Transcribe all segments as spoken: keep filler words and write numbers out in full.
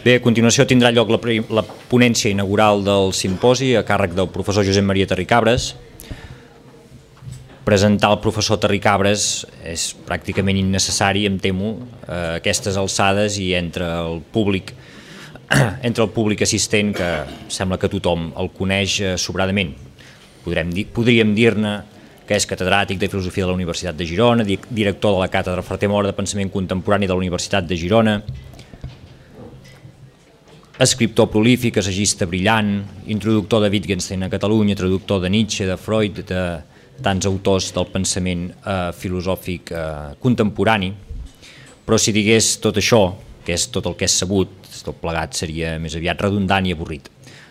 Bé, a continuació tindrà lloc la, la ponència inaugural del simposi a càrrec del professor Josep Maria Terricabres. Presentar el professor Terricabres és pràcticament innecessari, em temo, a aquestes alçades i entre el públic, entre el públic assistent, que sembla que tothom el coneix sobradament. Podrem dir, podríem dir-ne que és catedràtic de Filosofia de la Universitat de Girona, director de la Càtedra Ferrer Mora de Pensament Contemporani de la Universitat de Girona, escriptor prolífic, assagista brillant, introductor de Wittgenstein a Catalunya, traductor de Nietzsche, de Freud, de tants autors del pensament eh, filosòfic eh, contemporani. Però si digués tot això, que és tot el que és sabut, tot plegat seria més aviat redundant i avorrit.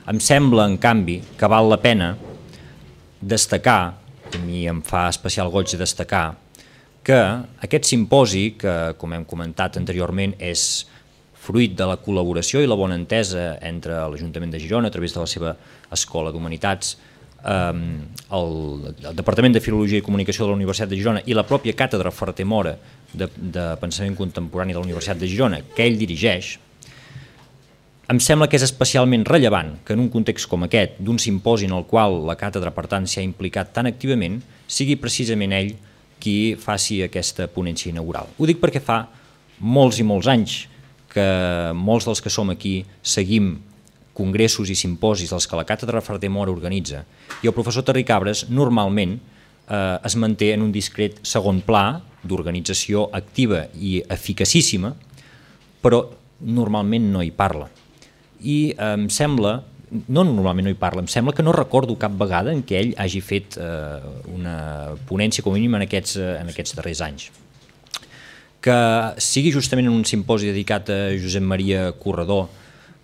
Em sembla, en canvi, que val la pena destacar, a mi em fa especial goig de destacar, que aquest simposi, que com hem comentat anteriorment és fruit de la col·laboració i la bona entesa entre l'Ajuntament de Girona a través de la seva Escola d'Humanitats, eh, el, el Departament de Filologia i Comunicació de la Universitat de Girona i la pròpia Càtedra Ferrer Mora de, de Pensament Contemporani de la Universitat de Girona, que ell dirigeix. Em sembla que és especialment rellevant que en un context com aquest, d'un simposi en el qual la càtedra per tant s'ha implicat tan activament, sigui precisament ell qui faci aquesta ponència inaugural. Ho dic perquè fa molts i molts anys que molts dels que som aquí seguim congressos i simposis dels que la Càtedra Ferrer Mora organitza, i el professor Terricabres normalment eh, es manté en un discret segon pla d'organització activa i eficacíssima, però normalment no hi parla. I eh, em sembla, no normalment no hi parla, em sembla que no recordo cap vegada en què ell hagi fet eh, una ponència com a mínim en aquests, eh, en aquests darrers anys. Que sigui justament en un simposi dedicat a Josep Maria Corredor,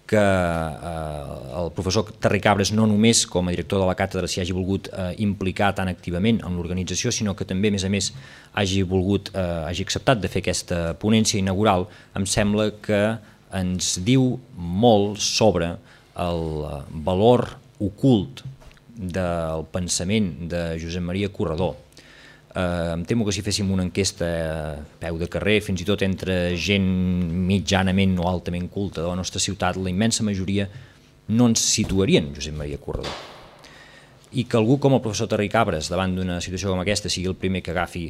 que eh, el professor Terricabres no només com a director de la càtedra s'hi hagi volgut eh, implicar tan activament en l'organització, sinó que també, a més a més, hagi volgut, eh, hagi acceptat de fer aquesta ponència inaugural, em sembla que ens diu molt sobre el valor ocult del pensament de Josep Maria Corredor. Uh, em temo que si féssim una enquesta a peu de carrer, fins i tot entre gent mitjanament o altament culta de la nostra ciutat, la immensa majoria no ens situarien Josep Maria Corredor. I que algú com el professor Terricabres, davant d'una situació com aquesta, sigui el primer que agafi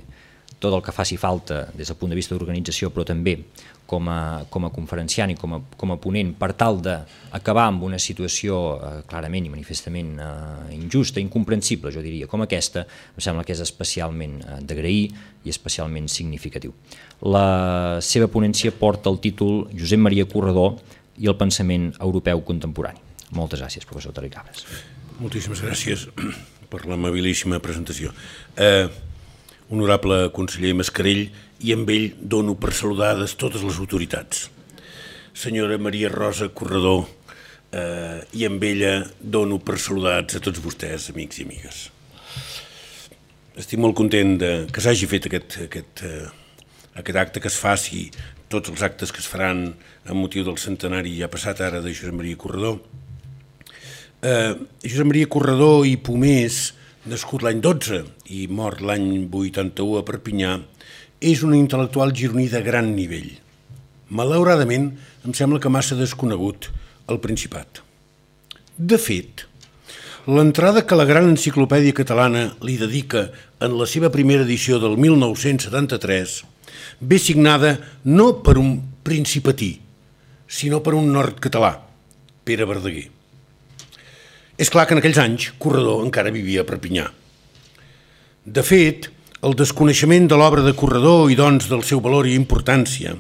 tot el que faci falta des del punt de vista d'organització, però també com a, com a conferenciant i com a, com a ponent, per tal d'acabar amb una situació eh, clarament i manifestament eh, injusta, incomprensible, jo diria, com aquesta, em sembla que és especialment eh, d'agrair i especialment significatiu. La seva ponència porta el títol Josep Maria Corredor i el pensament europeu contemporani. Moltes gràcies, professor Terricabres. Moltíssimes gràcies per l'amabilíssima presentació. Eh, Honorable conseller Mascarell, i amb ell dono per saludades totes les autoritats. Senyora Maria Rosa Corredor, eh, i amb ella dono per saludats a tots vostès, amics i amigues. Estic molt content de, que s'hagi fet aquest, aquest, eh, aquest acte, que es faci tots els actes que es faran amb motiu del centenari ja passat ara de Josep Maria Corredor. Eh, Josep Maria Corredor i Pomés, nascut l'any dotze i mort l'any vuitanta-u a Perpinyà, és un intel·lectual gironí de gran nivell. Malauradament, em sembla que massa desconegut al Principat. De fet, l'entrada que la gran enciclopèdia catalana li dedica en la seva primera edició del mil nou-cents setanta-tres ve signada no per un principatí, sinó per un nord-català, Pere Verdaguer. És clar que en aquells anys Corredor encara vivia a Perpinyà. De fet, el desconeixement de l'obra de Corredor i doncs del seu valor i importància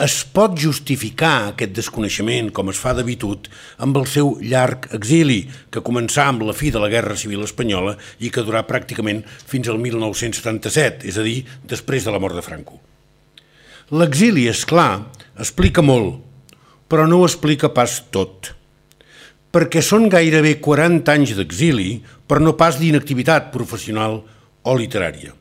es pot justificar, aquest desconeixement, com es fa d'habitud, amb el seu llarg exili, que començà amb la fi de la Guerra Civil Espanyola i que durà pràcticament fins al mil nou-cents setanta-set, és a dir, després de la mort de Franco. L'exili, és clar, explica molt, però no ho explica pas tot, perquè són gairebé quaranta anys d'exili, però no pas d'inactivitat professional o literària.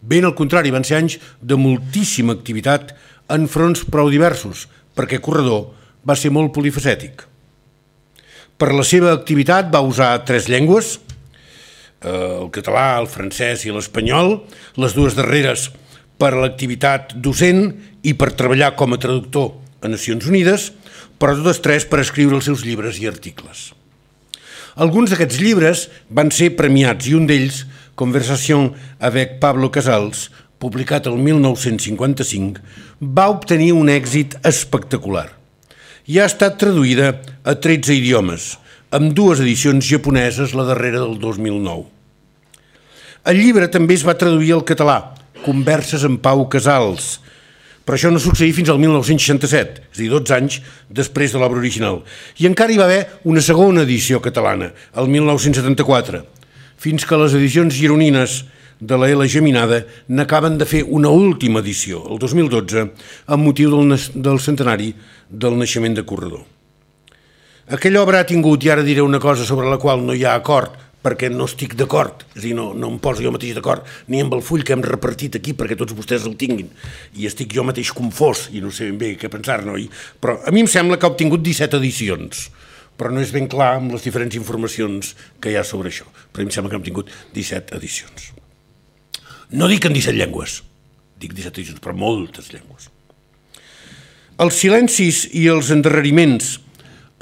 Ben al contrari, van ser anys de moltíssima activitat en fronts prou diversos, perquè Corredor va ser molt polifacètic. Per la seva activitat va usar tres llengües, el català, el francès i l'espanyol, les dues darreres per l'activitat docent i per treballar com a traductor a Nacions Unides, però totes tres per escriure els seus llibres i articles. Alguns d'aquests llibres van ser premiats i un d'ells, Conversation avec Pablo Casals, publicat el mil nou-cents cinquanta-cinc, va obtenir un èxit espectacular i ha estat traduïda a tretze idiomes, amb dues edicions japoneses, la darrera del dos mil nou. El llibre també es va traduir al català, Converses amb Pau Casals, però això no succeí fins al mil nou-cents seixanta-set, és a dir, dotze anys després de l'obra original. I encara hi va haver una segona edició catalana, el mil nou-cents setanta-quatre, fins que les edicions gironines de la L Geminada n'acaben de fer una última edició, el dos mil dotze, amb motiu del, del centenari del naixement de Corredor. Aquella obra ha tingut, i ara diré una cosa sobre la qual no hi ha acord, perquè no estic d'acord, és a dir, no, no em poso jo mateix d'acord ni amb el full que hem repartit aquí perquè tots vostès el tinguin, i estic jo mateix confós i no sé ben bé què pensar-ne, oi? Però a mi em sembla que ha obtingut disset edicions, però no és ben clar amb les diferents informacions que hi ha sobre això, però a mi em sembla que hem tingut disset edicions. No dic en disset llengües, dic disset edicions, però moltes llengües. Els silencis i els endarreriments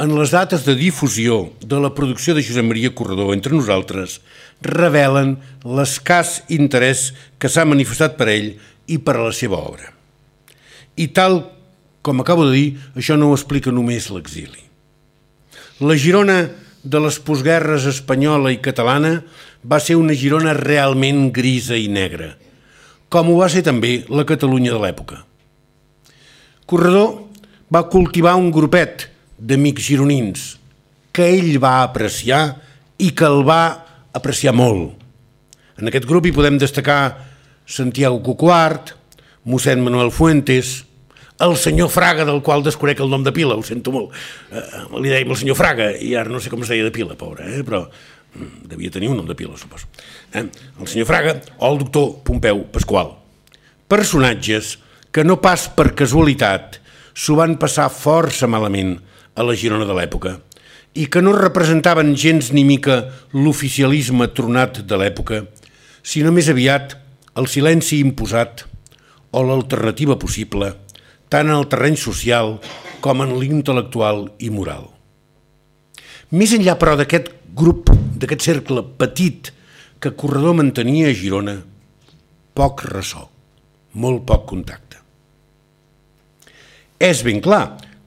en les dates de difusió de la producció de Josep Maria Corredor entre nosaltres revelen l'escàs interès que s'ha manifestat per ell i per a la seva obra. I tal com acabo de dir, això no ho explica només l'exili. La Girona de les postguerres espanyola i catalana va ser una Girona realment grisa i negra, com ho va ser també la Catalunya de l'època. Corredor va cultivar un grupet d'amics gironins que ell va apreciar i que el va apreciar molt. En aquest grup hi podem destacar Santiago Cucuart, mossèn Manuel Fuentes, el senyor Fraga, del qual desconec el nom de pila, ho sento molt. Eh, li dèiem el senyor Fraga i ara no sé com es deia de pila, pobre, eh? Però devia tenir un nom de pila, suposo. Eh? El senyor Fraga o el doctor Pompeu Pasqual. Personatges que no pas per casualitat s'ho van passar força malament a la Girona de l'època i que no representaven gens ni mica l'oficialisme tronat de l'època, sinó més aviat el silenci imposat o l'alternativa possible, tant en el terreny social com en l'intel·lectual i moral. Més enllà, però, d'aquest grup, d'aquest cercle petit que Corredor mantenia a Girona, poc ressò, molt poc contacte. És ben clar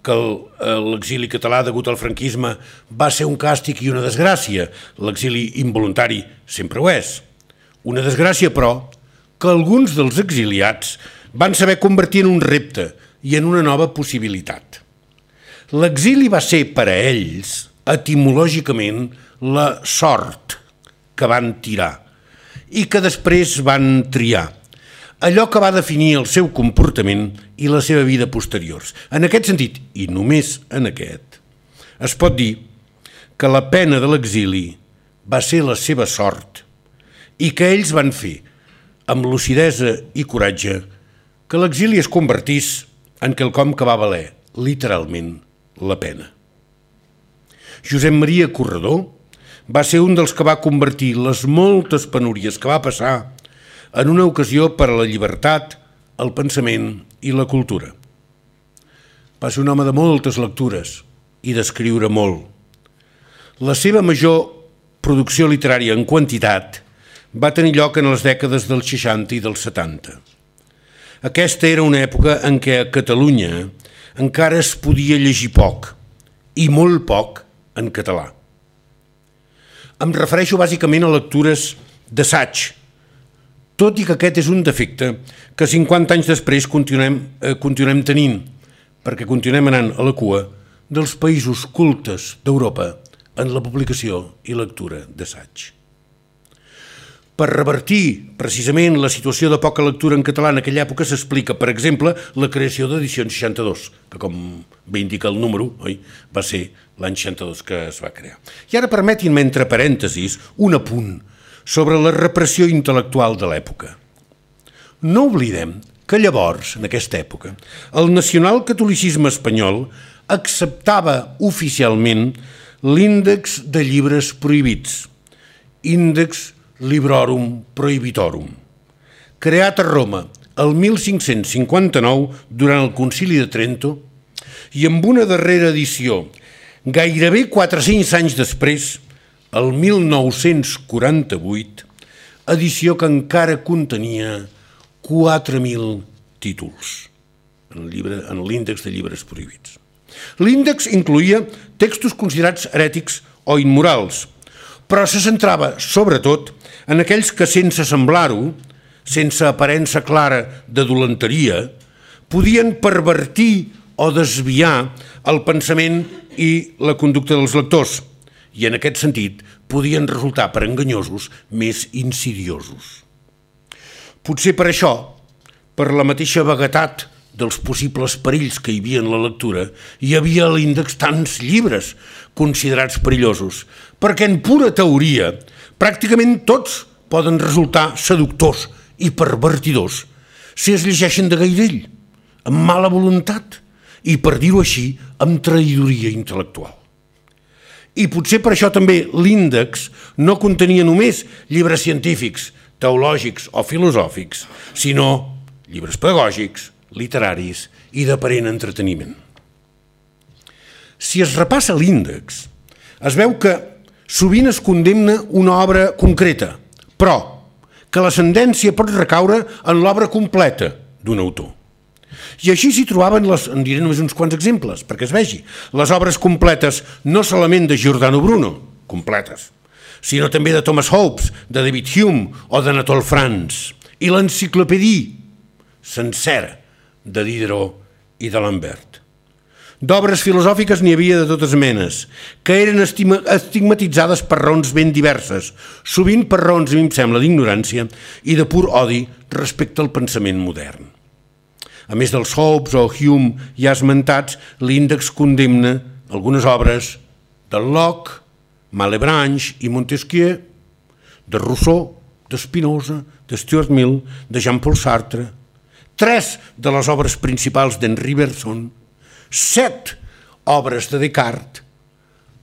que l'exili català degut al franquisme va ser un càstig i una desgràcia. L'exili involuntari sempre ho és. Una desgràcia, però, que alguns dels exiliats van saber convertir en un repte i en una nova possibilitat. L'exili va ser per a ells, etimològicament, la sort que van tirar i que després van triar. Allò que va definir el seu comportament i la seva vida posteriors. En aquest sentit, i només en aquest, es pot dir que la pena de l'exili va ser la seva sort i que ells van fer, amb lucidesa i coratge, que l'exili es convertís en quelcom que va valer, literalment, la pena. Josep Maria Corredor va ser un dels que va convertir les moltes penúries que va passar en una ocasió per a la llibertat, el pensament i la cultura. Va ser un home de moltes lectures i d'escriure molt. La seva major producció literària en quantitat va tenir lloc en les dècades dels seixanta i dels setanta. Aquesta era una època en què a Catalunya encara es podia llegir poc, i molt poc en català. Em refereixo bàsicament a lectures d'assaig, tot i que aquest és un defecte que cinquanta anys després continuem, eh, continuem tenint, perquè continuem anant a la cua dels països cultes d'Europa en la publicació i lectura d'assaig. Per revertir precisament la situació de poca lectura en català en aquella època s'explica, per exemple, la creació d'Edicions seixanta-dos, que com bé indica el número, oi, va ser l'any seixanta-dos que es va crear. I ara permetin-me, entre parèntesis, un apunt sobre la repressió intel·lectual de l'època. No oblidem que llavors, en aquesta època, el nacionalcatolicisme espanyol acceptava oficialment l'índex de llibres prohibits, Índex Librorum Prohibitorum, creat a Roma el mil cinc-cents cinquanta-nou durant el Concili de Trento i amb una darrera edició, gairebé quatre-cents anys després, el mil nou-cents quaranta-vuit, edició que encara contenia quatre mil títols en l'índex de llibres prohibits. L'índex incloïa textos considerats herètics o immorals, però se centrava, sobretot, en aquells que, sense semblar-ho, sense aparença clara de dolenteria, podien pervertir o desviar el pensament i la conducta dels lectors, i en aquest sentit podien resultar per enganyosos més insidiosos. Potser per això, per la mateixa vaguetat dels possibles perills que hi havia en la lectura, hi havia a l'índex tants llibres considerats perillosos, perquè en pura teoria pràcticament tots poden resultar seductors i pervertidors si es llegeixen de gairell, amb mala voluntat i, per dir-ho així, amb traïdoria intel·lectual. I potser per això també l'índex no contenia només llibres científics, teològics o filosòfics, sinó llibres pedagògics, literaris i d'aparent entreteniment. Si es repassa l'índex, es veu que sovint es condemna una obra concreta, però que l'ascendència pot recaure en l'obra completa d'un autor. I així s'hi trobaven, les, en diré només uns quants exemples, perquè es vegi, les obres completes no solament de Giordano Bruno, completes, sinó també de Thomas Hobbes, de David Hume o d'Anatole France, i l'enciclopèdia sencera de Diderot i d'Alembert. D'obres filosòfiques n'hi havia de totes menes, que eren estigmatitzades per raons ben diverses, sovint per raons, a mi em sembla, d'ignorància i de pur odi respecte al pensament modern. A més dels Hobbes o Hume ja esmentats, l'índex condemna algunes obres de Locke, Malebranche i Montesquieu, de Rousseau, de Spinoza, de Stuart Mill, de Jean-Paul Sartre, tres de les obres principals d'Henri Bergson, set obres de Descartes,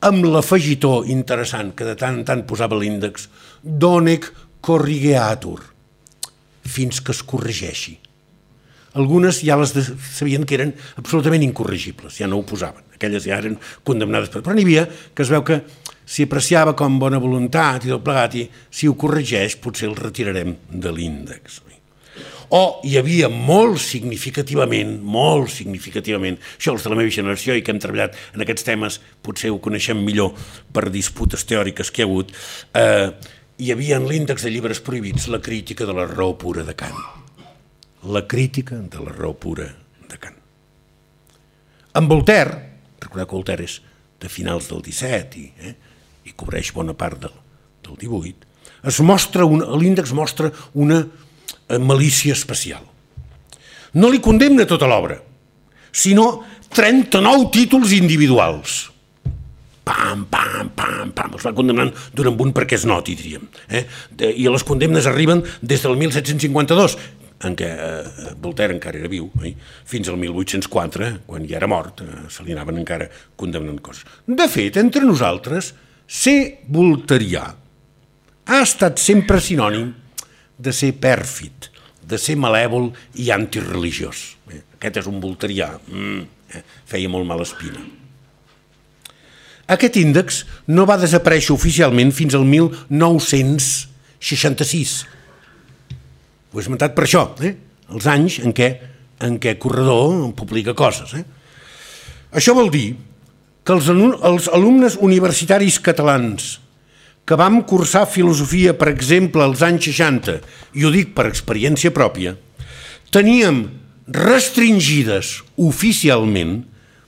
amb l'afegitó interessant que de tant en tant posava l'índex, Donec corrigeatur, fins que es corregeixi. Algunes ja les sabien que eren absolutament incorregibles, ja no ho posaven, aquelles ja eren condemnades, però n'hi havia que es veu que s'hi apreciava com bona voluntat i tot plegat, i si ho corregeix potser el retirarem de l'índex. O hi havia molt significativament, molt significativament, això els de la meva generació i que hem treballat en aquests temes, potser ho coneixem millor per disputes teòriques que hi ha hagut, eh, hi havia en l'índex de llibres prohibits la crítica de la raó pura de Kant. La crítica de la raó pura de Kant. En Voltaire, recordeu que Voltaire és de finals del disset i, eh, i cobreix bona part del, del divuit, es mostra una, l'índex mostra una malícia especial. No li condemna tota l'obra, sinó trenta-nou títols individuals. Pam, pam, pam, pam, els va condemnant d'un en un perquè es noti, diríem. Eh? I les condemnes arriben des del mil set-cents cinquanta-dos, en què eh, Voltaire encara era viu, eh? fins al mil vuit-cents quatre, quan ja era mort, eh, se li anaven encara condemnant coses. De fet, entre nosaltres, ser volterià ha estat sempre sinònim de ser pèrfid, de ser malèvol i antireligiós. Eh? Aquest és un volterià, mm, eh? feia molt mala espina. Aquest índex no va desaparèixer oficialment fins al mil nou-cents seixanta-sis. Ho he esmentat per això, eh? els anys en què, en què Corredor publica coses. Eh? Això vol dir que els, els alumnes universitaris catalans que vam cursar filosofia, per exemple, als anys seixanta, i ho dic per experiència pròpia, teníem restringides oficialment,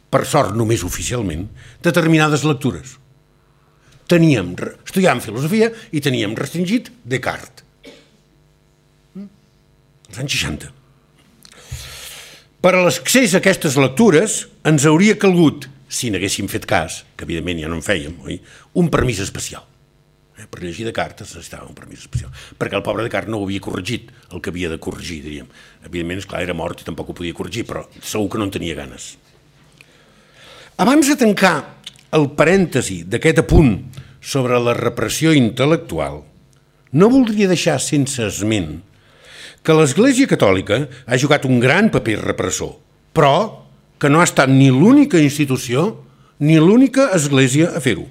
per sort només oficialment, determinades lectures. Teníem, estudiàvem filosofia i teníem restringit Descartes. Als anys seixanta. Per a l'accés a aquestes lectures ens hauria calgut, si n'haguéssim fet cas, que evidentment ja no en fèiem, oi? un permís especial. Eh? Per llegir Descartes necessitava un permís especial, perquè el pobre Descartes no ho havia corregit, el que havia de corregir, diríem. Evidentment, esclar, era mort i tampoc ho podia corregir, però segur que no en tenia ganes. Abans de tancar el parèntesi d'aquest apunt sobre la repressió intel·lectual, no voldria deixar sense esment que l'Església Catòlica ha jugat un gran paper repressor, però que no ha estat ni l'única institució ni l'única església a fer-ho.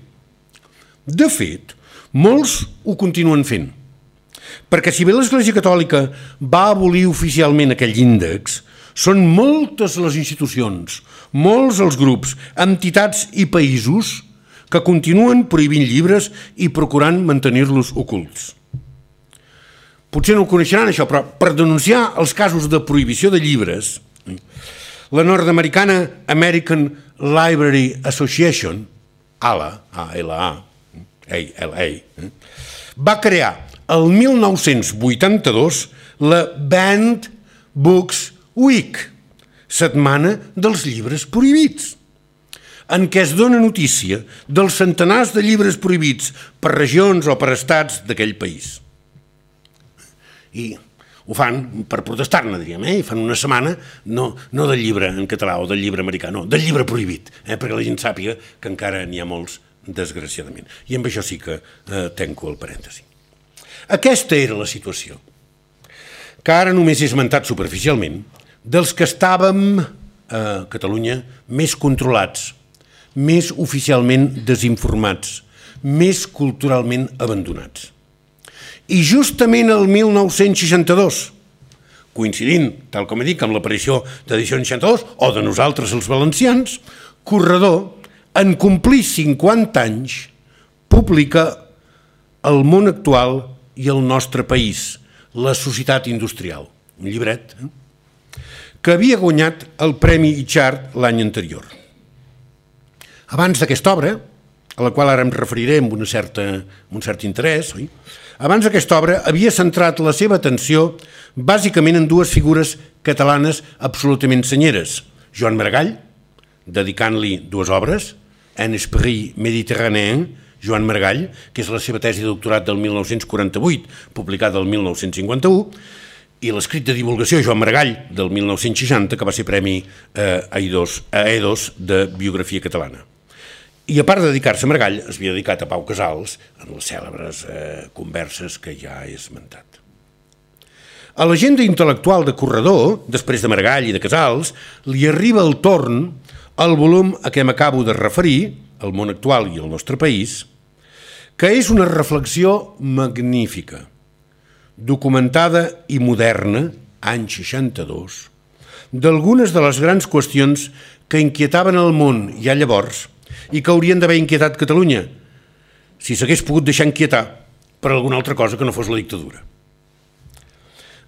De fet, molts ho continuen fent, perquè si bé l'Església Catòlica va abolir oficialment aquell índex, són moltes les institucions, molts els grups, entitats i països que continuen prohibint llibres i procurant mantenir-los ocults. Potser no ho coneixeran, això, però per denunciar els casos de prohibició de llibres, la nord-americana American Library Association, A L A, A L A, A L A, va crear el mil nou-cents vuitanta-dos la Banned Books Week, setmana dels llibres prohibits, en què es dona notícia dels centenars de llibres prohibits per regions o per estats d'aquell país. I ho fan per protestar-ne, diríem, eh? I fan una setmana no, no del llibre en català o del llibre americà, no, del llibre prohibit, eh? Perquè la gent sàpiga que encara n'hi ha molts, desgraciadament. I amb això sí que eh, tenco el parèntesi. Aquesta era la situació, que ara només he esmentat superficialment, dels que estàvem a Catalunya més controlats, més oficialment desinformats, més culturalment abandonats. I justament el mil nou-cents seixanta-dos, coincidint, tal com he dit, amb l'aparició d'Edició seixanta-dos, o de nosaltres els valencians, Corredor, en complir cinquanta anys, publica El món actual i el nostre país, la societat industrial, un llibret, eh? que havia guanyat el Premi Itxart l'any anterior. Abans d'aquesta obra, a la qual ara em referiré amb, una certa, amb un cert interès, oi? Abans d'aquesta obra havia centrat la seva atenció bàsicament en dues figures catalanes absolutament senyeres. Joan Maragall, dedicant-li dues obres, Un esprit méditerranéen, Joan Maragall, que és la seva tesi de doctorat del mil nou-cents quaranta-vuit, publicada el mil nou-cents cinquanta-u, i l'escrit de divulgació Joan Maragall del mil nou-cents seixanta, que va ser premi eh, a E dos de biografia catalana. I a part de dedicar-se a Maragall, es havia dedicat a Pau Casals en les cèlebres eh, converses que ja he esmentat. A l'agenda intel·lectual de Corredor, després de Maragall i de Casals, li arriba el torn al volum a què m'acabo de referir, El món actual i el nostre país, que és una reflexió magnífica, documentada i moderna, any seixanta-dos, d'algunes de les grans qüestions que inquietaven el món ja llavors i que haurien d'haver inquietat Catalunya, si s'hagués pogut deixar inquietar per alguna altra cosa que no fos la dictadura.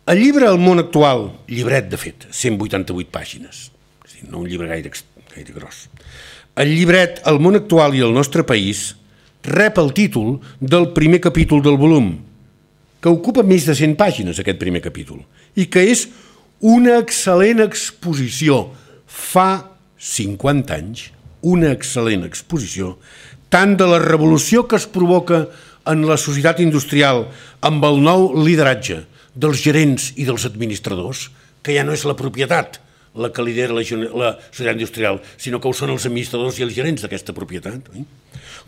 El llibre El món actual, llibret de fet, cent vuitanta-vuit pàgines, no un llibre gaire, gaire gros. El llibret El món actual i el nostre país rep el títol del primer capítol del volum, que ocupa més de cent pàgines, aquest primer capítol, i que és una excel·lent exposició, fa cinquanta anys, una excel·lent exposició, tant de la revolució que es provoca en la societat industrial amb el nou lideratge dels gerents i dels administradors, que ja no és la propietat la que lidera la, la societat industrial, sinó que ho són els administradors i els gerents d'aquesta propietat. Eh?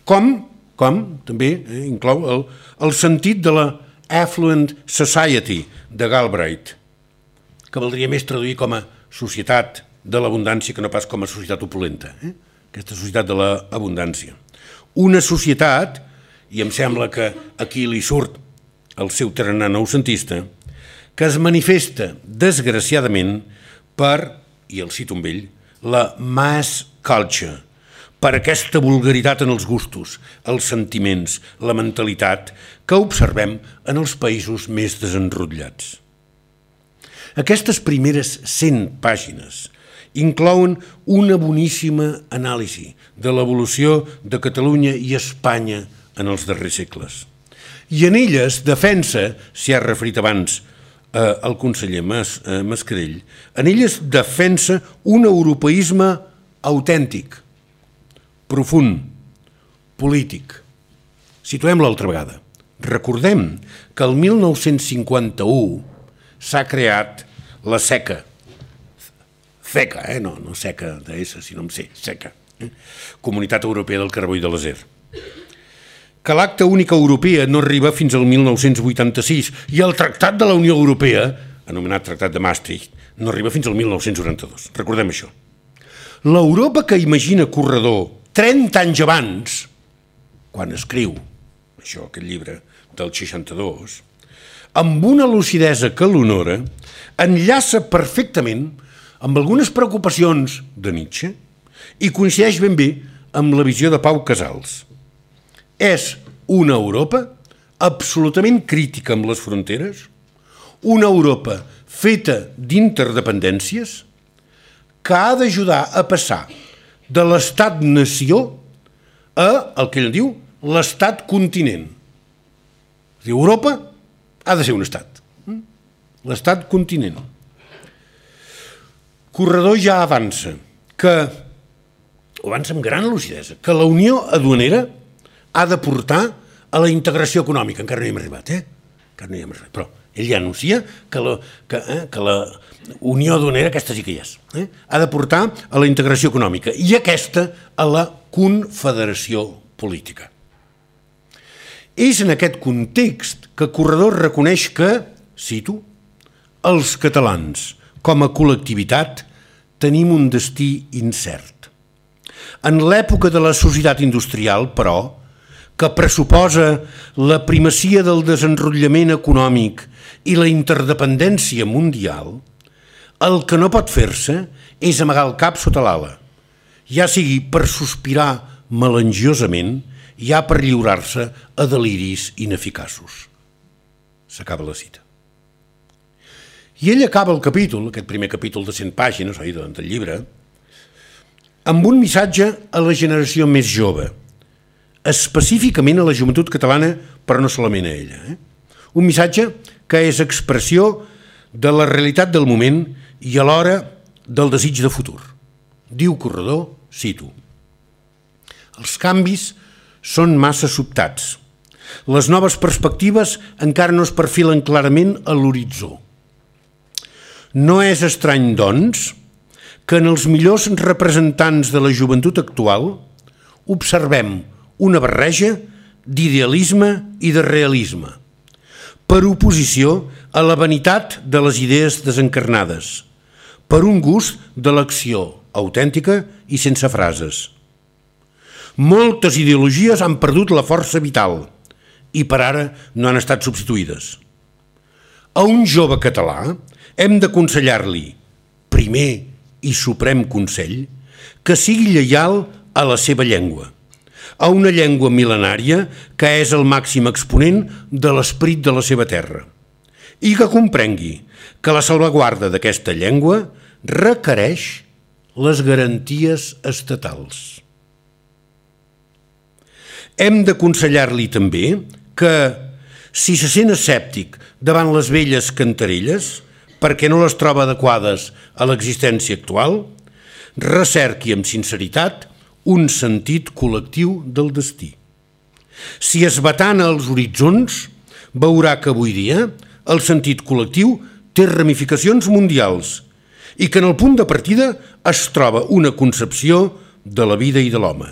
Com, com també eh, inclou el, el sentit de la Affluent Society de Galbraith, que valdria més traduir com a societat de l'abundància que no pas com a societat opulenta. Eh? Aquesta societat de l'abundància. Una societat, i em sembla que aquí li surt el seu tarannà noucentista, que es manifesta, desgraciadament, per, i el cito amb ell, la mass culture, per aquesta vulgaritat en els gustos, els sentiments, la mentalitat que observem en els països més desenrotllats. Aquestes primeres cent pàgines inclouen una boníssima anàlisi de l'evolució de Catalunya i Espanya en els darrers segles. I en elles defensa, s'hi ha referit abans eh, el conseller Mas, eh, Mascarell, en elles defensa un europeisme autèntic, profund, polític. Situem-la altra vegada. Recordem que el mil nou-cents cinquanta-u s'ha creat la SECA, CECA, eh? no, no SECA de S, sinó amb C, SECA, eh? Comunitat Europea del Carbó i de l'Acer. Que l'acta única europea no arriba fins al mil nou-cents vuitanta-sis i el Tractat de la Unió Europea, anomenat Tractat de Maastricht, no arriba fins al mil nou-cents noranta-dos. Recordem això. L'Europa que imagina Corredor trenta anys abans, quan escriu això, aquest llibre del seixanta-dos, amb una lucidesa que l'honora, enllaça perfectament amb algunes preocupacions de Nietzsche i coincideix ben bé amb la visió de Pau Casals. És una Europa absolutament crítica amb les fronteres, una Europa feta d'interdependències que ha d'ajudar a passar de l'estat-nació a el que ell diu l'estat-continent. Europa ha de ser un estat. L'estat-continent. Corredor ja avança que, avança amb gran lucidesa, que la unió aduanera ha de portar a la integració econòmica. Encara no hi hem arribat, eh? Encara no hi hem arribat, però ell ja anuncia que la, que, eh, que la unió aduanera, aquesta sí que hi és, eh? ha de portar a la integració econòmica i aquesta a la confederació política. És en aquest context que Corredor reconeix que, cito, els catalans, com a col·lectivitat, tenim un destí incert. En l'època de la societat industrial, però, que pressuposa la primacia del desenrotllament econòmic i la interdependència mundial, el que no pot fer-se és amagar el cap sota l'ala, ja sigui per sospirar melangiosament, ja per lliurar-se a deliris ineficaços. S'acaba la cita. I ell acaba el capítol, aquest primer capítol de cent pàgines, oi, del llibre, amb un missatge a la generació més jove, específicament a la joventut catalana, però no solament a ella. Eh? Un missatge que és expressió de la realitat del moment i alhora del desig de futur. Diu Corredor, cito, els canvis són massa sobtats. Les noves perspectives encara no es perfilen clarament a l'horitzó. No és estrany, doncs, que en els millors representants de la joventut actual observem una barreja d'idealisme i de realisme, per oposició a la vanitat de les idees desencarnades, per un gust de l'acció autèntica i sense frases. Moltes ideologies han perdut la força vital i per ara no han estat substituïdes. A un jove català hem d'aconsellar-li, primer i suprem consell, que sigui lleial a la seva llengua, a una llengua mil·lenària que és el màxim exponent de l'esperit de la seva terra, i que comprengui que la salvaguarda d'aquesta llengua requereix les garanties estatals. Hem d'aconsellar-li també que, si se sent escèptic davant les velles cantarelles, perquè no les troba adequades a l'existència actual, recerqui amb sinceritat un sentit col·lectiu del destí. Si es batana als horitzons, veurà que avui dia el sentit col·lectiu té ramificacions mundials i que en el punt de partida es troba una concepció de la vida i de l'home.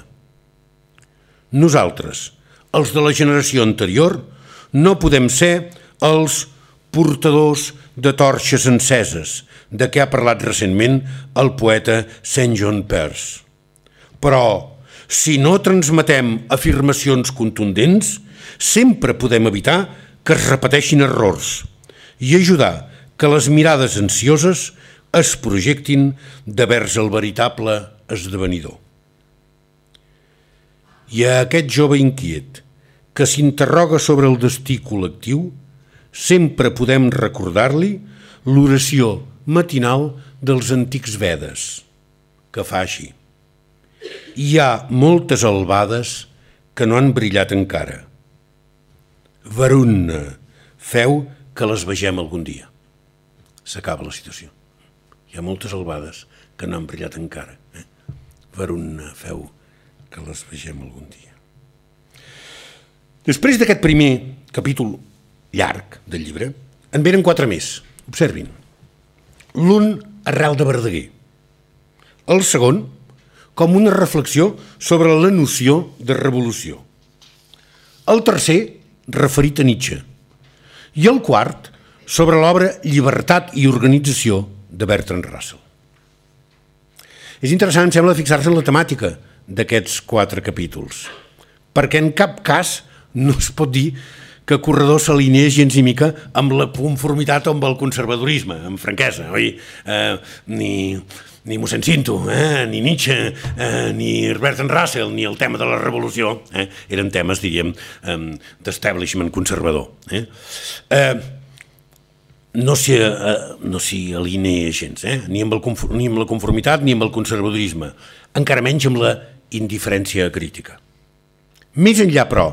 Nosaltres, els de la generació anterior, no podem ser els portadors de torxes enceses, de què ha parlat recentment el poeta Saint John Peirce. Però, si no transmetem afirmacions contundents, sempre podem evitar que es repeteixin errors i ajudar que les mirades ansioses es projectin de vers el veritable esdevenidor. I a aquest jove inquiet que s'interroga sobre el destí col·lectiu, sempre podem recordar-li l'oració matinal dels antics Vedes, que fa així. Hi ha moltes albades que no han brillat encara. Varunna, feu que les vegem algun dia. S'acaba la situació. Hi ha moltes albades que no han brillat encara. Eh? Varunna, feu que les vegem algun dia. Després d'aquest primer capítol llarg del llibre, en venen quatre més. Observin. L'un arrel de Verdaguer. El segon, com una reflexió sobre la noció de revolució. El tercer, referit a Nietzsche. I el quart, sobre l'obra Llibertat i organització de Bertrand Russell. És interessant, em sembla, fixar-se en la temàtica d'aquests quatre capítols, perquè en cap cas no es pot dir que Corredor s'alinea gens ni mica amb la conformitat o amb el conservadorisme, amb franquesa, oi? Eh, ni, ni mossèn Cinto, eh, ni Nietzsche, eh, ni Bertrand Russell, ni el tema de la revolució, eh, eren temes, diríem, eh, d'establishment conservador. Eh? Eh, no s'hi eh, no s'hi alinea gens, eh? ni, amb el, ni amb la conformitat ni amb el conservadorisme, encara menys amb la indiferència crítica. Més enllà, però,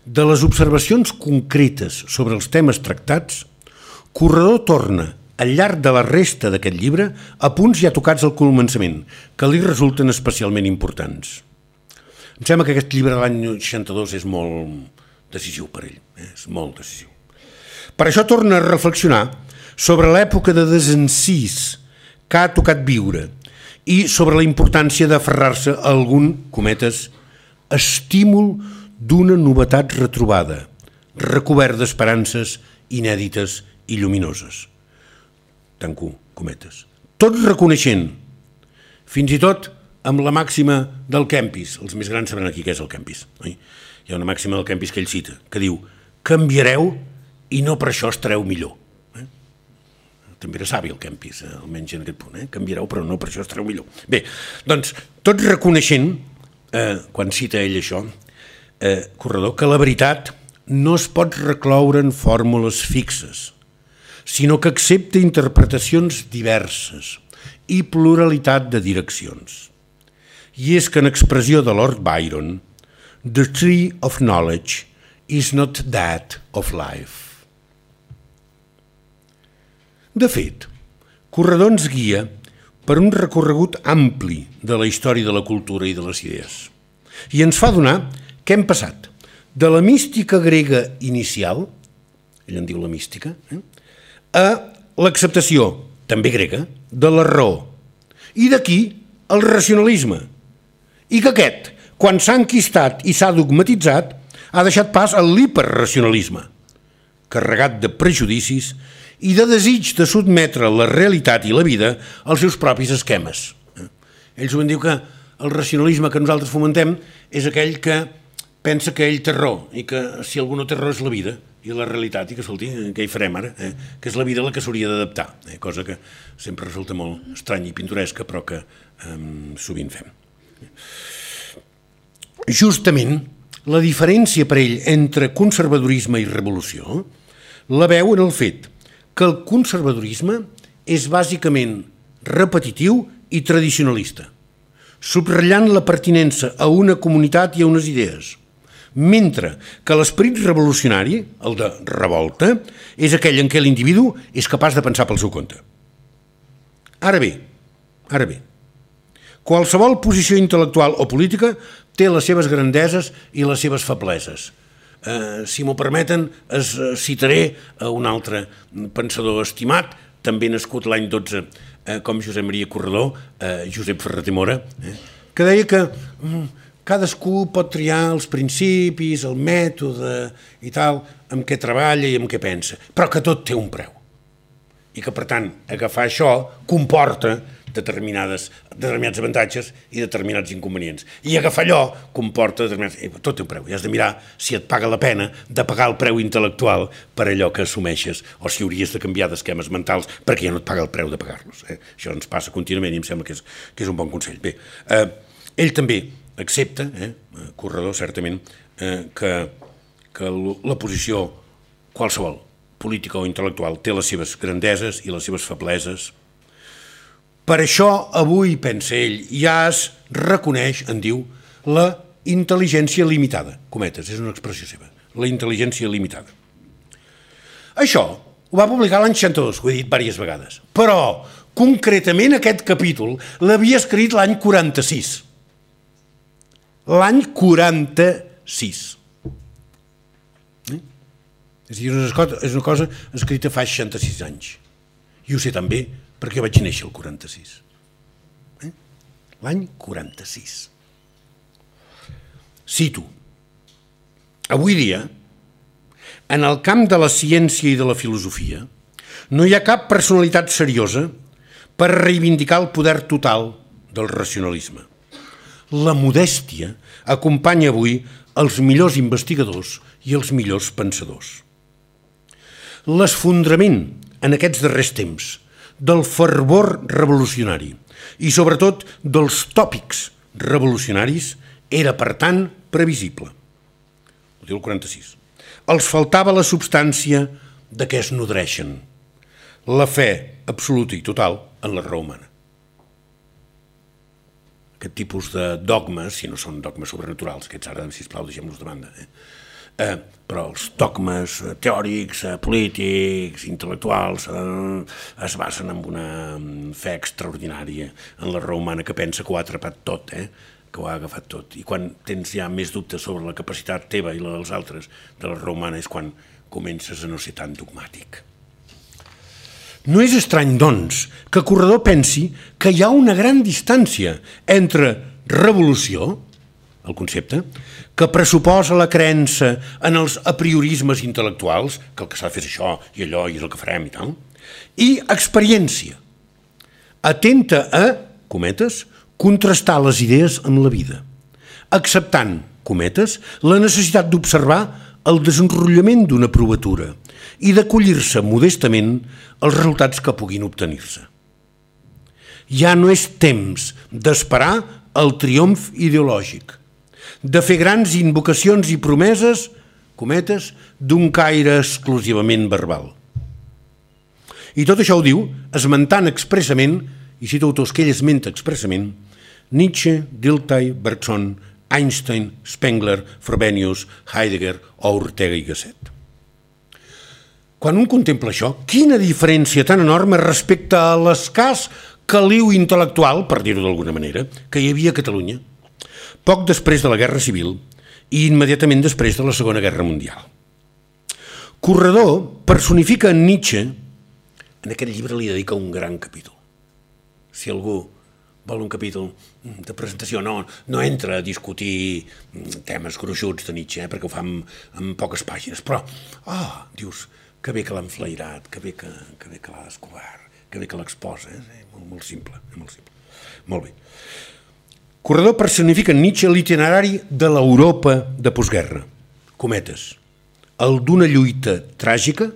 de les observacions concretes sobre els temes tractats, Corredor torna, al llarg de la resta d'aquest llibre, a punts ja tocats al començament, que li resulten especialment importants. Em sembla que aquest llibre de l'any seixanta-dos és molt decisiu per ell, eh? És molt decisiu. Per això torna a reflexionar sobre l'època de desencís que ha tocat viure i sobre la importància d'aferrar-se a algun, cometes, estímul d'una novetat retrobada, recobert d'esperances inèdites i lluminoses. Tanco cometes. Tot reconeixent, fins i tot amb la màxima del Kempis, els més grans sabran aquí què és el Kempis, oi? Hi ha una màxima del Kempis que ell cita, que diu: canviareu i no per això estareu millor. Eh? També era savi el Kempis, eh? Almenys en aquest punt, eh? Canviareu però no per això estareu millor. Bé, doncs, tot reconeixent, eh, quan cita ell això, Eh, Corredor, que la veritat no es pot recloure en fórmules fixes, sinó que accepta interpretacions diverses i pluralitat de direccions. I és que en expressió de Lord Byron, "The tree of knowledge is not that of life". De fet, Corredor ens guia per un recorregut ampli de la història de la cultura i de les idees i ens fa donar què hem passat de la mística grega inicial, ell en diu la mística, eh, a l'acceptació, també grega, de la raó, i d'aquí el racionalisme, i que aquest, quan s'ha enquistat i s'ha dogmatitzat, ha deixat pas a l'hiperracionalisme, carregat de prejudicis i de desig de sotmetre la realitat i la vida als seus propis esquemes. Ells ho diu que el racionalisme que nosaltres fomentem és aquell que pensa que ell té raó i que si algú no té raó és la vida i la realitat i que, escolti, què hi farem ara? Eh? Que és la vida la que s'hauria d'adaptar, eh? Cosa que sempre resulta molt estranya i pintoresca però que eh, sovint fem. Justament, la diferència per ell entre conservadorisme i revolució la veu en el fet que el conservadorisme és bàsicament repetitiu i tradicionalista, subratllant la pertinença a una comunitat i a unes idees, mentre que l'esperit revolucionari, el de revolta, és aquell en què l'individu és capaç de pensar pel seu compte. Ara bé, ara bé, qualsevol posició intel·lectual o política té les seves grandeses i les seves febleses. Eh, si m'ho permeten, es citaré a un altre pensador estimat, també nascut l'any dotze, eh, com Josep Maria Corredor, eh, Josep Ferrater Mora, eh, que deia que mm, cadascú pot triar els principis, el mètode i tal, amb què treballa i amb què pensa, però que tot té un preu. I que, per tant, agafar això comporta determinades, determinats avantatges i determinats inconvenients. I agafar allò comporta determinats... Eh, tot té un preu. I has de mirar si et paga la pena de pagar el preu intel·lectual per allò que assumeixes o si hauries de canviar d'esquemes mentals perquè ja no et paga el preu de pagar-los. Eh? Això ens passa contínuament i em sembla que és, que és un bon consell. Bé, eh, ell també accepta, eh, Corredor, certament, eh, que, que la posició qualsevol, política o intel·lectual, té les seves grandeses i les seves febleses. Per això, avui, pensa ell, ja es reconeix, en diu, la intel·ligència limitada. Cometes, és una expressió seva. La intel·ligència limitada. Això ho va publicar l'any seixanta-dos, ho he dit diverses vegades. Però, concretament, aquest capítol l'havia escrit l'any quaranta-sis. L'any quaranta-sis. Eh? És a dir, és una cosa escrita fa seixanta-sis anys. I ho sé també perquè vaig néixer el quaranta-sis. Eh? L'any quaranta-sis. Cito. Avui dia, en el camp de la ciència i de la filosofia, no hi ha cap personalitat seriosa per reivindicar el poder total del racionalisme. La modèstia acompanya avui els millors investigadors i els millors pensadors. L'esfondrament en aquests darrers temps del fervor revolucionari i sobretot dels tòpics revolucionaris era, per tant, previsible. Ho diu el quaranta-sis. Els faltava la substància de què es nodreixen, la fe absoluta i total en la raó humana. Aquest tipus de dogmes, si no són dogmes sobrenaturals, aquests ara, sisplau, deixem-los de banda, eh? Eh, però els dogmes teòrics, eh, polítics, intel·lectuals, eh, es basen en una fe extraordinària en la raó humana que pensa que ho ha atrapat tot, eh? que ho ha agafat tot. I quan tens ja més dubtes sobre la capacitat teva i la dels altres de la raó humana és quan comences a no ser tan dogmàtic. No és estrany, doncs, que Corredor pensi que hi ha una gran distància entre revolució, el concepte, que pressuposa la creença en els apriorismes intel·lectuals, que el que s'ha de fer és això i allò i és el que farem i tal, i experiència, atenta a, cometes, contrastar les idees amb la vida, acceptant, cometes, la necessitat d'observar el desenrotllament d'una provatura i d'acollir-se modestament els resultats que puguin obtenir-se. Ja no és temps d'esperar el triomf ideològic, de fer grans invocacions i promeses, cometes, d'un caire exclusivament verbal. I tot això ho diu esmentant expressament, i cito autors que ell esmenta expressament, Nietzsche, Dilthey, Bergson, Einstein, Spengler, Frobenius, Heidegger o Ortega y Gasset. Quan un contempla això, quina diferència tan enorme respecte a l'escàs caliu intel·lectual, per dir-ho d'alguna manera, que hi havia a Catalunya, poc després de la Guerra Civil i immediatament després de la Segona Guerra Mundial. Corredor personifica en Nietzsche, en aquest llibre li dedica un gran capítol. Si algú vol un capítol de presentació, no, no entra a discutir temes gruixuts de Nietzsche, eh, perquè ho fa en, en poques pàgines, però, ah, oh, dius, que bé que l'ha enflairat, que bé que, que, bé que l'ha descobert, que bé que l'exposa, eh? molt, molt simple, eh? molt simple. Molt bé. Corredor personifica en Nietzsche l'itinerari de l'Europa de postguerra, cometes, el d'una lluita tràgica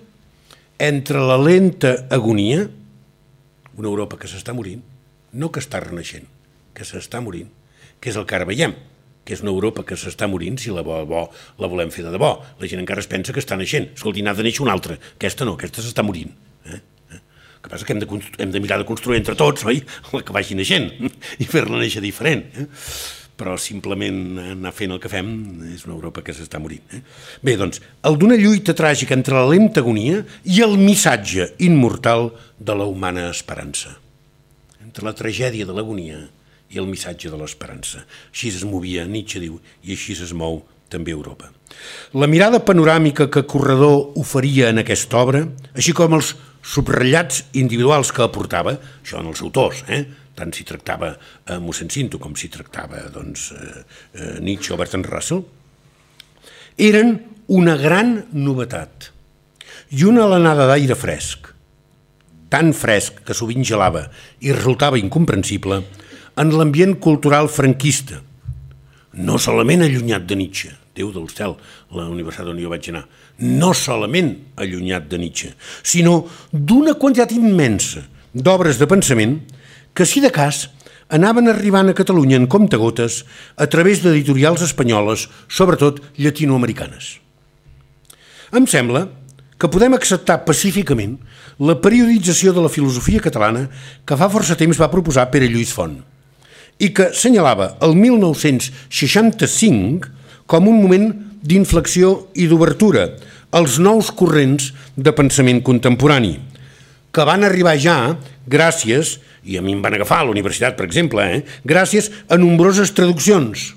entre la lenta agonia, una Europa que s'està morint, no que està renaixent, que s'està morint, que és el que ara veiem, que és una Europa que s'està morint, si la bo, bo la volem fer de debò. La gent encara es pensa que està naixent. Escolti, n'ha de néixer una altra. Aquesta no, aquesta s'està morint. Eh? Eh? El que passa que hem de, hem de mirar de construir entre tots, oi? La que vagi naixent i fer-la néixer diferent. Eh? Però simplement anar fent el que fem és una Europa que s'està morint. Eh? Bé, doncs, el d'una lluita tràgica entre la lenta agonia i el missatge immortal de la humana esperança. Entre la tragèdia de l'agonia i el missatge de l'esperança. Així es movia, Nietzsche diu, i així es mou també Europa. La mirada panoràmica que Corredor oferia en aquesta obra, així com els subratllats individuals que aportava, això en els autors, eh? tant si tractava eh, mossèn Cinto com si tractava doncs, eh, eh, Nietzsche o Bertrand Russell, eren una gran novetat i una alenada d'aire fresc, tan fresc que sovint gelava i resultava incomprensible en l'ambient cultural franquista, no solament allunyat de Nietzsche, Déu del cel, la universitat on jo vaig anar, no solament allunyat de Nietzsche, sinó d'una quantitat immensa d'obres de pensament que, si de cas, anaven arribant a Catalunya en comptagotes a través d'editorials espanyoles, sobretot llatinoamericanes. Em sembla que podem acceptar pacíficament la periodització de la filosofia catalana que fa força temps va proposar Pere Lluís Font i que senyalava el mil nou-cents seixanta-cinc com un moment d'inflexió i d'obertura als nous corrents de pensament contemporani, que van arribar ja gràcies, i a mi em van agafar a la universitat, per exemple, eh, gràcies a nombroses traduccions,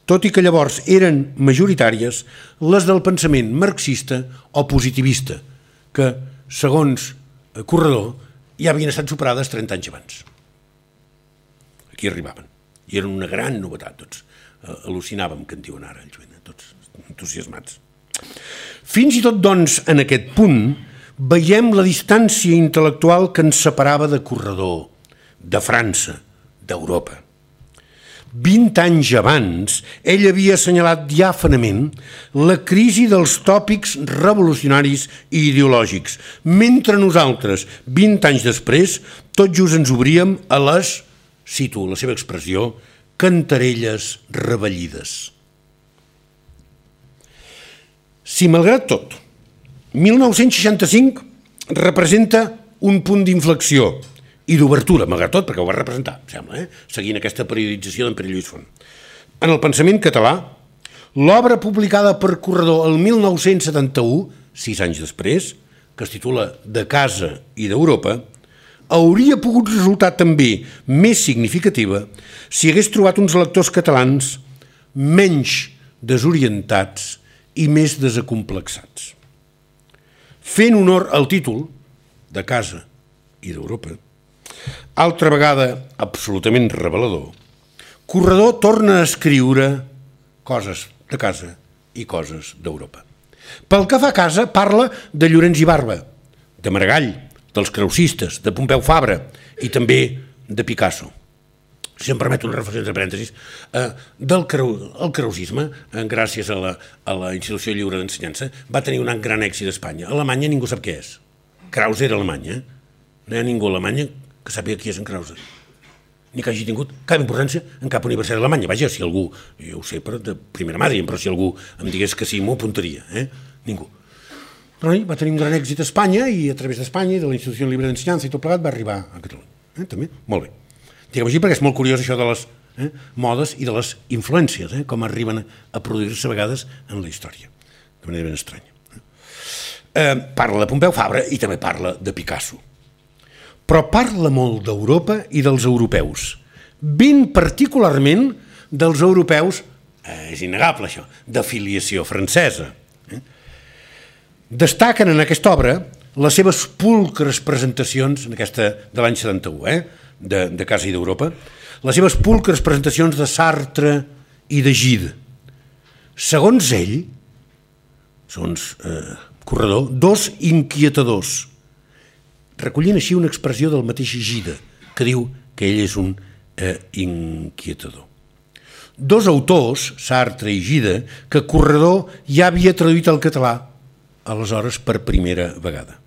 tot i que llavors eren majoritàries les del pensament marxista o positivista, que, segons Corredor, ja havien estat superades trenta anys abans. Aquí arribaven, i eren una gran novetat, tots. Al·lucinàvem, que en diuen ara, tots entusiasmats. Fins i tot, doncs, en aquest punt, veiem la distància intel·lectual que ens separava de Corredor, de França, d'Europa. Vint anys abans, ell havia assenyalat diàfanament la crisi dels tòpics revolucionaris i ideològics, mentre nosaltres, vint anys després, tot just ens obríem a les, cito la seva expressió, cantarelles revellides. Si, malgrat tot, mil nou-cents seixanta-cinc representa un punt d'inflexió i d'obertura, malgrat tot, perquè ho va representar, sembla, eh? seguint aquesta periodització d'en Pere Lluís Font. En el pensament català, l'obra publicada per Corredor el mil nou-cents setanta-u, sis anys després, que es titula De casa i d'Europa, hauria pogut resultar també més significativa si hagués trobat uns lectors catalans menys desorientats i més desacomplexats. Fent honor al títol, De casa i d'Europa, altra vegada absolutament revelador, Corredor torna a escriure coses de casa i coses d'Europa. Pel que fa a casa, parla de Llorenç i Barba, de Maragall, dels creusistes, de Pompeu Fabra i també de Picasso. Si em permet una reflexió entre parèntesis, eh, del creu, el creusisme, eh, gràcies a la, a la Institució Lliure d'Ensenyança, va tenir un gran èxit a Espanya. A Alemanya ningú sap què és. Krause era Alemanya. No hi ha ningú a Alemanya que sàpiga qui és en Krause. Ni que hagi tingut cap importància en cap universitat d'Alemanya. Vaja, si algú, jo ho sé per de primera mà, però si algú em digués que sí, m'ho apuntaria. Eh? Ningú. Però va tenir un gran èxit a Espanya i a través d'Espanya i de la Institució Lliure d'Ensenyança i tot plegat va arribar a Catalunya. Eh? També? Molt bé. Diguem així perquè és molt curiós això de les eh, modes i de les influències, eh? com arriben a produir-se a vegades en la història, de manera ben estranya. Eh, parla de Pompeu Fabra i també parla de Picasso. Però parla molt d'Europa i dels europeus, ben particularment dels europeus, eh, és innegable això, de filiació francesa. Eh? Destaquen en aquesta obra les seves pulcres presentacions, en aquesta de l'any setanta-u, eh? de, de Casa i d'Europa, les seves pulcres presentacions de Sartre i de Gide. Segons ell, segons eh, Corredor, dos inquietadors, recollint així una expressió del mateix Gide, que diu que ell és un eh, inquietador. Dos autors, Sartre i Gide, que Corredor ja havia traduït al català, aleshores per primera vegada.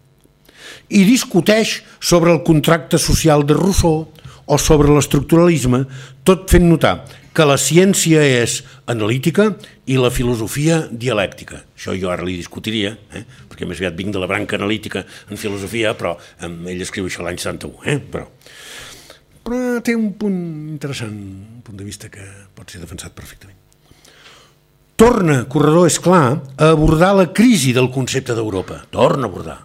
I discuteix sobre el contracte social de Rousseau o sobre l'estructuralisme, tot fent notar que la ciència és analítica i la filosofia dialèctica. Això jo ara li discutiria, eh? perquè més aviat vinc de la branca analítica en filosofia, però eh, ell escriu això l'any setanta-u. Eh? Però, però té un punt interessant, un punt de vista que pot ser defensat perfectament. Torna, Corredor, és clar, a abordar la crisi del concepte d'Europa. Torna a abordar.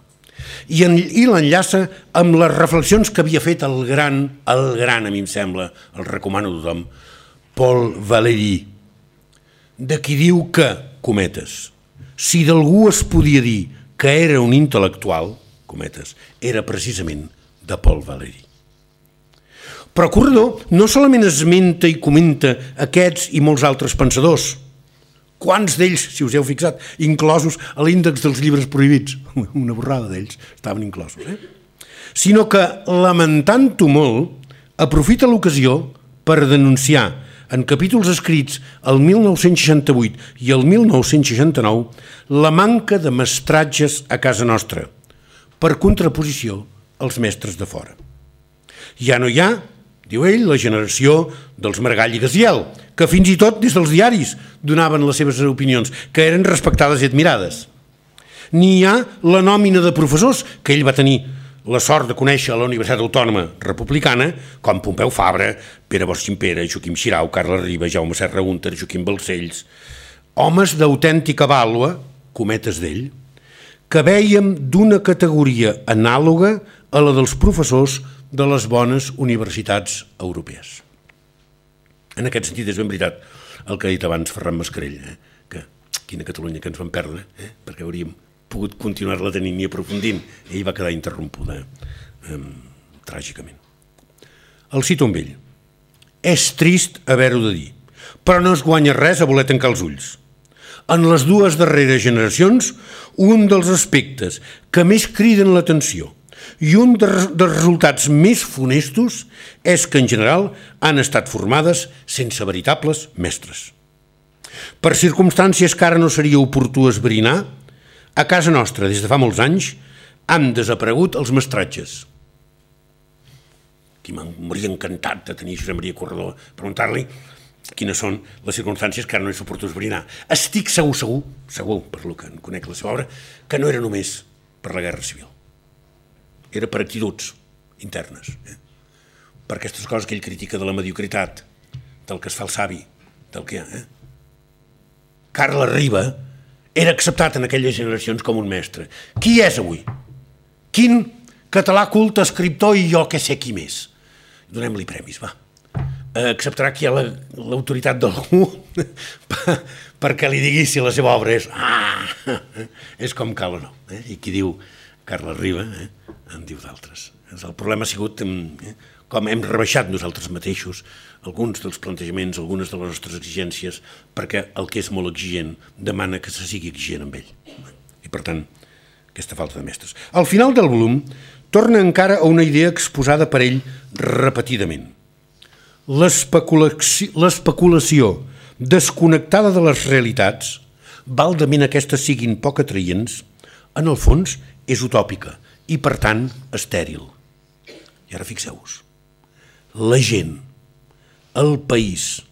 I, en, i l'enllaça amb les reflexions que havia fet el gran, el gran, a mi em sembla, el recomano a tothom, Paul Valéry, de qui diu que, cometes, si d'algú es podia dir que era un intel·lectual, cometes, era precisament de Paul Valéry. Però Corredor no solament esmenta i comenta aquests i molts altres pensadors, quants d'ells, si us heu fixat, inclosos a l'índex dels llibres prohibits, una borrada d'ells estaven inclosos, eh? sinó que, lamentant-ho molt, aprofita l'ocasió per denunciar en capítols escrits el mil nou-cents seixanta-vuit i el mil nou-cents seixanta-nou la manca de mestratges a casa nostra, per contraposició als mestres de fora. Ja no hi ha, diu ell, la generació dels Maragall i Gaziel, que fins i tot des dels diaris donaven les seves opinions, que eren respectades i admirades. Ni hi ha la nòmina de professors que ell va tenir la sort de conèixer a la Universitat Autònoma Republicana, com Pompeu Fabra, Pere Bosch Gimpera, Joaquim Xirau, Carles Riba, Jaume Serra Gunter, Joaquim Balcells, homes d'autèntica vàlua, cometes d'ell, que vèiem d'una categoria anàloga a la dels professors de les bones universitats europees. En aquest sentit és ben veritat el que ha dit abans Ferran Mascarell, eh? que quina Catalunya que ens vam perdre, eh? perquè hauríem pogut continuar-la tenint i aprofundint, i ell va quedar interrompuda eh, tràgicament. El cito amb ell. És trist haver-ho de dir, però no es guanya res a voler tancar els ulls. En les dues darreres generacions, un dels aspectes que més criden l'atenció i un dels resultats més funestos és que, en general, han estat formades sense veritables mestres. Per circumstàncies que ara no seria oportú esbrinar, a casa nostra, des de fa molts anys, han desaparegut els mestratges. Aquí m'hauria encantat de tenir Josep Maria Corredor, preguntar-li quines són les circumstàncies que ara no és oportú esbrinar. Estic segur, segur, segur, per lo que en conec la seva obra, que no era només per la Guerra Civil. Era per actituds internes, eh? Per aquestes coses que ell critica de la mediocritat, del que es fa el savi, del que... Eh? Carles Riba era acceptat en aquelles generacions com un mestre. Qui és avui? Quin català culte, escriptor i jo que sé qui més? Donem-li premis, va. Acceptarà aquí l'autoritat d'algú perquè li digui si la seva obra és ah, és com cal o no. Eh? I qui diu Carles Riba eh? en diu d'altres. El problema ha sigut eh? com hem rebaixat nosaltres mateixos alguns dels plantejaments, algunes de les nostres exigències, perquè el que és molt exigent demana que se sigui exigent amb ell. I per tant, aquesta falta de mestres. Al final del volum torna encara a una idea exposada per ell repetidament. L'especulació desconnectada de les realitats, valdament aquestes siguin poc atraïents, en el fons és utòpica i, per tant, estèril. I ara fixeu-vos, la gent, el país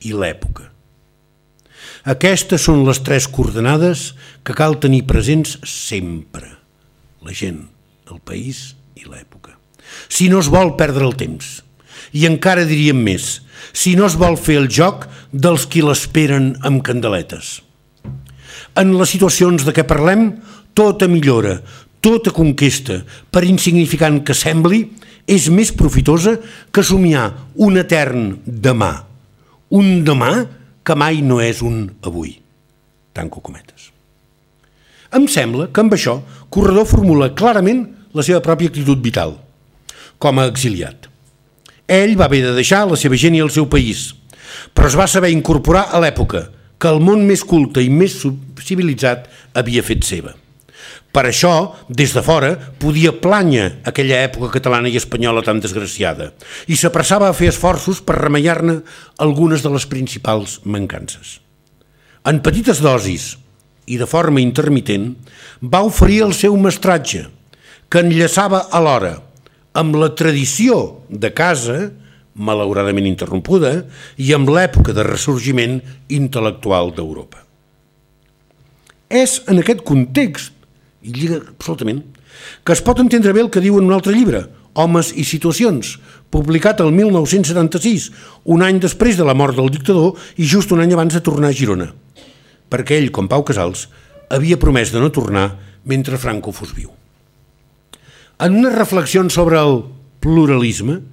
i l'època. Aquestes són les tres coordenades que cal tenir presents sempre. La gent, el país i l'època. Si no es vol perdre el temps, i encara diríem més, si no es vol fer el joc dels qui l'esperen amb candeletes. En les situacions de què parlem, tota millora, tota conquesta, per insignificant que sembli, és més profitosa que somiar un etern demà. Un demà que mai no és un avui. Tanco cometes. Em sembla que amb això Corredor formula clarament la seva pròpia actitud vital, com a exiliat. Ell va haver de deixar la seva gent i el seu país, però es va saber incorporar a l'època que el món més culte i més civilitzat havia fet seva. Per això, des de fora, podia plànyer aquella època catalana i espanyola tan desgraciada i s'apressava a fer esforços per remeiar-ne algunes de les principals mancances. En petites dosis i de forma intermitent, va oferir el seu mestratge, que enllaçava alhora amb la tradició de casa, malauradament interrompuda, i amb l'època de ressorgiment intel·lectual d'Europa. És en aquest context, i lliga absolutament, que es pot entendre bé el que diu en un altre llibre, Homes i situacions, publicat el mil nou-cents setanta-sis, un any després de la mort del dictador i just un any abans de tornar a Girona, perquè ell, com Pau Casals, havia promès de no tornar mentre Franco fos viu. En unes reflexions sobre el pluralisme,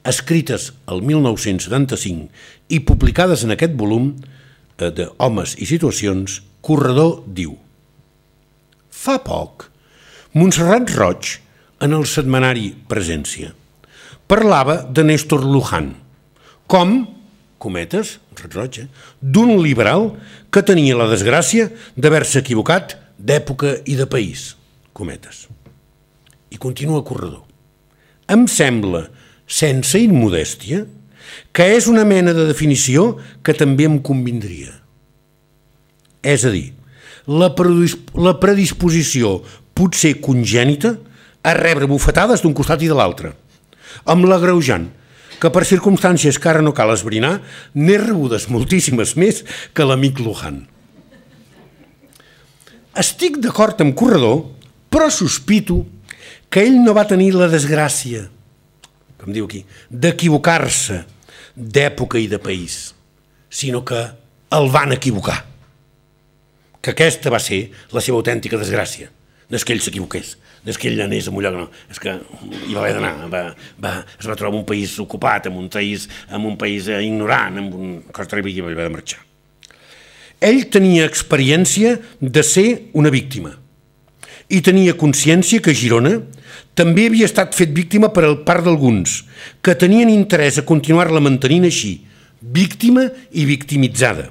escrites el mil nou-cents setanta-cinc i publicades en aquest volum de Homes i situacions, Corredor diu: fa poc, Montserrat Roig, en el setmanari Presència, parlava de Néstor Luján, com, cometes, Roig, eh, d'un liberal que tenia la desgràcia d'haver-se equivocat d'època i de país, cometes. I continua Corredor. Em sembla, sense immodèstia, que és una mena de definició que també em convindria. És a dir, la predisposició potser congènita a rebre bufetades d'un costat i de l'altre, amb l'agreujant que per circumstàncies que ara no cal esbrinar n'he rebudes moltíssimes més que l'amic Luján. Estic d'acord amb Corredor, però sospito que ell no va tenir la desgràcia, com diu aquí, d'equivocar-se d'època i de país, sinó que el van equivocar. Que aquesta va ser la seva autèntica desgràcia. No és que ell s'equivoqués, no és que ell anés a un lloc, no, és que hi va haver d'anar, va, va, es va trobar en un país ocupat, en un país, en un país ignorant, en un cosa terrible, i va haver de marxar. Ell tenia experiència de ser una víctima i tenia consciència que Girona també havia estat fet víctima per part d'alguns que tenien interès a continuar-la mantenint així, víctima i victimitzada.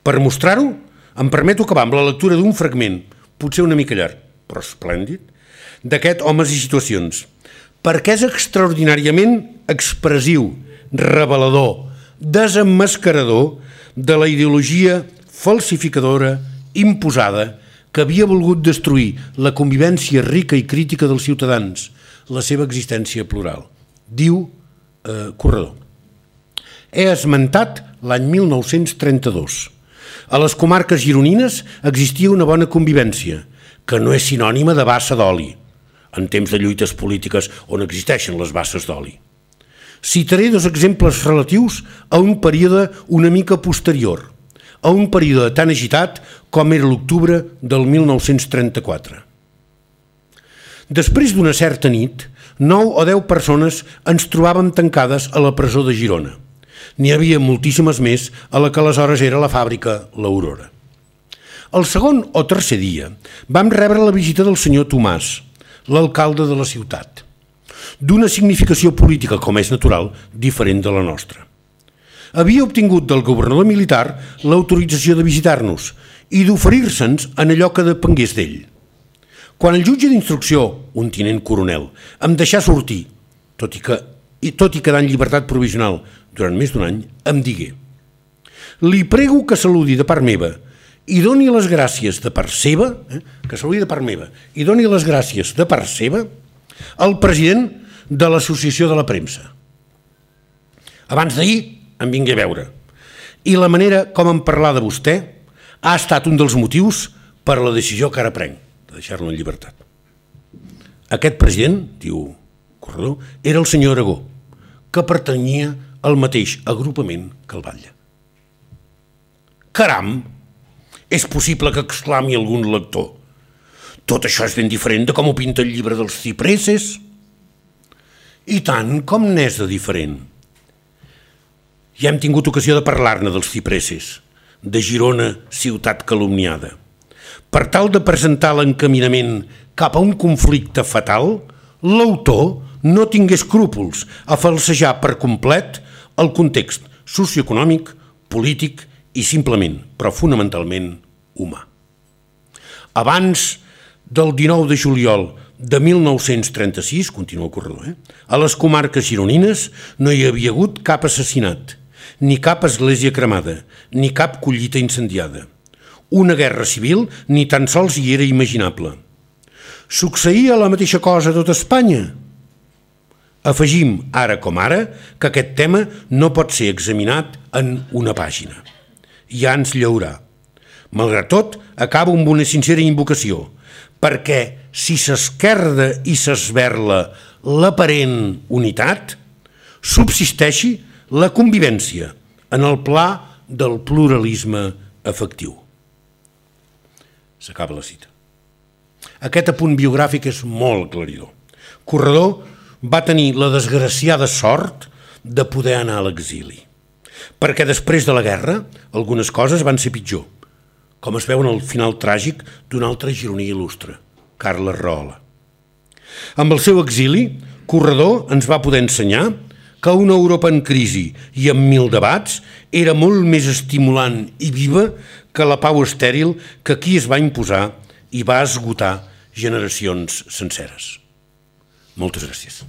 Per mostrar-ho, em permeto acabar amb la lectura d'un fragment, potser una mica llarg, però esplèndid, d'aquest Homes i situacions, perquè és extraordinàriament expressiu, revelador, desemmascarador de la ideologia falsificadora, imposada, que havia volgut destruir la convivència rica i crítica dels ciutadans, la seva existència plural. Diu eh, Corredor. He esmentat l'any mil nou-cents trenta-dos. A les comarques gironines existia una bona convivència, que no és sinònima de bassa d'oli, en temps de lluites polítiques on existeixen les basses d'oli. Citaré dos exemples relatius a un període una mica posterior, a un període tan agitat com era l'octubre del mil nou-cents trenta-quatre. Després d'una certa nit, nou o deu persones ens trobàvem tancades a la presó de Girona. N'hi havia moltíssimes més a la que aleshores era la fàbrica l'Aurora. El segon o tercer dia vam rebre la visita del senyor Tomàs, l'alcalde de la ciutat, d'una significació política, com és natural, diferent de la nostra. Havia obtingut del governador militar l'autorització de visitar-nos i d'oferir-se'ns en allò que depengués d'ell. Quan el jutge d'instrucció, un tinent coronel, em deixà sortir, tot i que i tot i quedar en llibertat provisional durant més d'un any, em digué: li prego que saludi de part meva i doni les gràcies de part seva, eh, que saludi de part meva i doni les gràcies de part seva al president de l'Associació de la Premsa. Abans d'ahir em vingué a veure i la manera com em parlar de vostè ha estat un dels motius per a la decisió que ara prenc, de deixar-lo en llibertat. Aquest president, diu Corredor, era el senyor Aragó, que pertanyia al mateix agrupament que el batlle. Caram! És possible que exclami algun lector: tot això és ben diferent de com ho pinta el llibre dels cipresses? I tant com n'és de diferent. Ja hem tingut ocasió de parlar-ne dels cipresses, de Girona, ciutat calumniada. Per tal de presentar l'encaminament cap a un conflicte fatal, l'autor no tingué escrúpols a falsejar per complet el context socioeconòmic, polític i simplement, però fonamentalment, humà. Abans del dinou de juliol de mil nou-cents trenta-sis, continua el Corredor, eh? a les comarques gironines no hi havia hagut cap assassinat, ni cap església cremada, ni cap collita incendiada. Una guerra civil ni tan sols hi era imaginable. Succeïa la mateixa cosa a tot Espanya? Afegim, ara com ara, que aquest tema no pot ser examinat en una pàgina. Ja ens llaurà. Malgrat tot, acabo amb una sincera invocació, perquè si s'esquerda i s'esberla l'aparent unitat, subsisteixi la convivència en el pla del pluralisme efectiu. S'acaba la cita. Aquest apunt biogràfic és molt aclaridor. Corredor va tenir la desgraciada sort de poder anar a l'exili, perquè després de la guerra algunes coses van ser pitjor, com es veu en el final tràgic d'un altre gironí il·lustre, Carles Rahola. Amb el seu exili, Corredor ens va poder ensenyar que una Europa en crisi i amb mil debats era molt més estimulant i viva que la pau estèril que aquí es va imposar i va esgotar generacions senceres. Moltes gràcies.